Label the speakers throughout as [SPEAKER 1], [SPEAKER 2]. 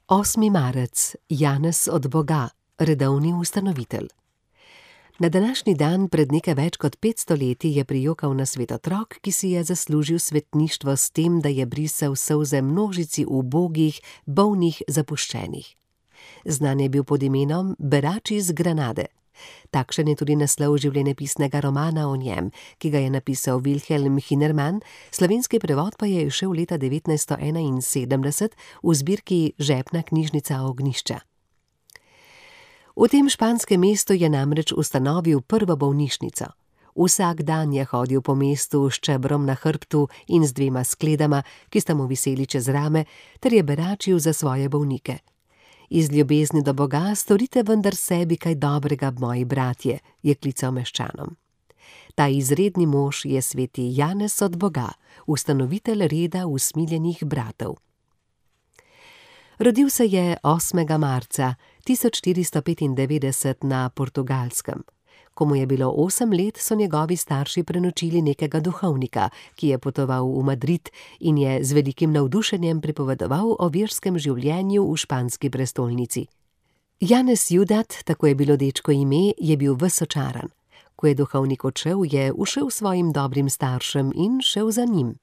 [SPEAKER 1] 8. marec, Janez od Boga, redovni ustanovitelj. Na današnji dan pred nekaj več kot 500 leti je prijokal na svet otrok, ki si je zaslužil svetništvo s tem, da je brisal solze množici ubogih, bolnih, zapuščenih. Znan je bil pod imenom Berač iz Granade. Takšen je tudi naslov življenjepisnega romana o njem, ki ga je napisal Wilhelm Hünermann, slovenski prevod pa je izšel leta 1971 v zbirki Žepna knjižnica Ognjišča. V tem španskem mestu je namreč ustanovil prvo bolnišnico. Vsak dan je hodil po mestu s čebrom na hrbtu in z 2 skledama, ki sta mu viseli čez rame, ter je beračil za svoje bolnike. Iz ljubezni do Boga storite vendar sebi kaj dobrega, moji bratje, je klical meščanom. Ta izredni mož je sveti Janez od Boga, ustanovitelj reda usmiljenih bratov. Rodil se je 8. marca 1495 na Portugalskem. Ko mu je bilo 8 let, so njegovi starši prenočili nekega duhovnika, ki je potoval v Madrid in je z velikim navdušenjem pripovedoval o verskem življenju v španski prestolnici. Janez Judat, tako je bilo dečko ime, je bil ves očaran. Ko je duhovnik odšel, je ušel svojim dobrim staršem in šel za njim.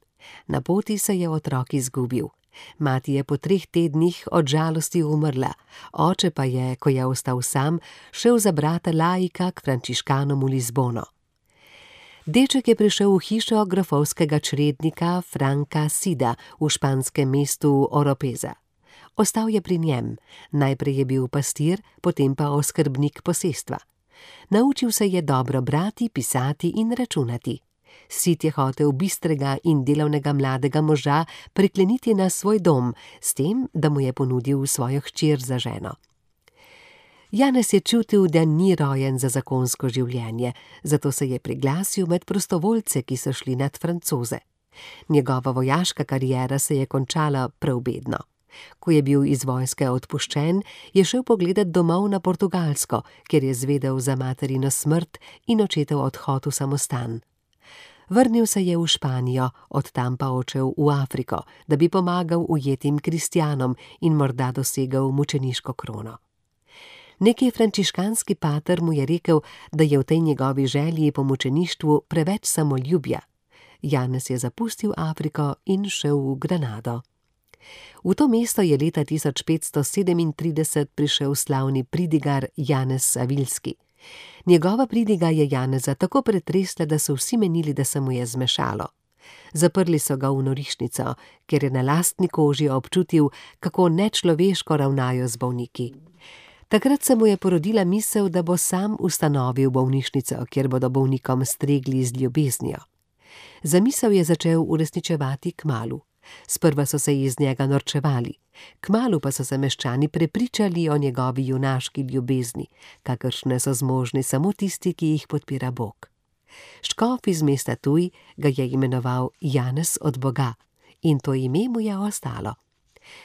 [SPEAKER 1] Na poti se je otrok izgubil. Mati je po 3 tednih od žalosti umrla, oče pa je, ko je ostal sam, šel za brata laika k frančiškanom v Lizbono. Deček je prišel v hišo grofovskega črednika Franka Sida v španskem mestu Oropeza. Ostal je pri njem, najprej je bil pastir, potem pa oskrbnik posestva. Naučil se je dobro brati, pisati in računati. Sid je hotel bistrega in delavnega mladega moža prikleniti na svoj dom, s tem, da mu je ponudil svojo hčer za ženo. Janez je čutil, da ni rojen za zakonsko življenje, zato se je priglasil med prostovoljce, ki so šli nad Francoze. Njegova vojaška kariera se je končala prav bedno. Ko je bil iz vojske odpuščen, je šel pogledat domov na Portugalsko, kjer je zvedel za materino smrt in očetov odhod v samostan. Vrnil se je v Španijo, od tam pa odšel v Afriko, da bi pomagal ujetim kristjanom in morda dosegel mučeniško krono. Neki frančiškanski pater mu je rekel, da je v tej njegovi želji po mučeništvu preveč samoljubja. Janez je zapustil Afriko in šel v Granado. V to mesto je leta 1537 prišel slavni pridigar Janez Savilski. Njegova pridiga je Janeza tako pretresla, da so vsi menili, da se mu je zmešalo. Zaprli so ga v norišnico, ker je na lastni koži občutil, kako nečloveško ravnajo z bolniki. Takrat se mu je porodila misel, da bo sam ustanovil bolnišnico, kjer bodo bolnikom stregli z ljubeznijo. Zamisel je začel uresničevati kmalu. Sprva so se iz njega norčevali, kmalu pa so se meščani prepričali o njegovi junaški ljubezni, kakršne so zmožni samo tisti, ki jih podpira Bog. Škof iz mesta Tuj ga je imenoval Janez od Boga in to ime mu je ostalo.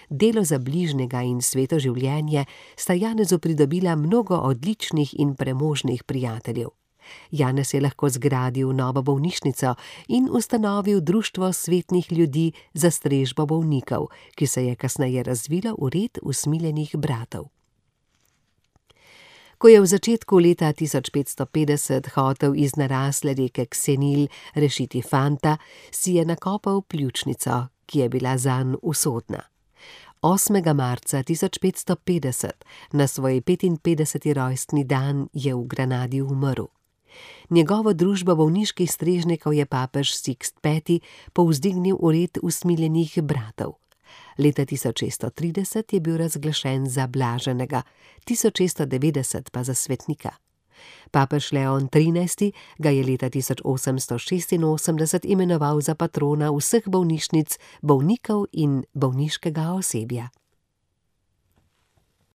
[SPEAKER 1] Delo za bližnjega in sveto življenje sta Janezu pridobila mnogo odličnih in premožnih prijateljev. Janez je lahko zgradil novo bolnišnico in ustanovil društvo svetnih ljudi za strežbo bolnikov, ki se je kasneje razvilo v red usmiljenih bratov. Ko je v začetku leta 1550 hotel iz narasle reke Ksenil rešiti fanta, si je nakopal pljučnico, ki je bila zanj usodna. 8. marca 1550, na svoj 55. rojstni dan, je v Granadi umrl. Njegovo družbo bolniških strežnikov je papež Sixt V povzdignil v red usmiljenih bratov. Leta 1630 je bil razglašen za blaženega, 1690 pa za svetnika. Papež Leon XIII. Ga je leta 1886 imenoval za patrona vseh bolnišnic, bolnikov in bolniškega osebja.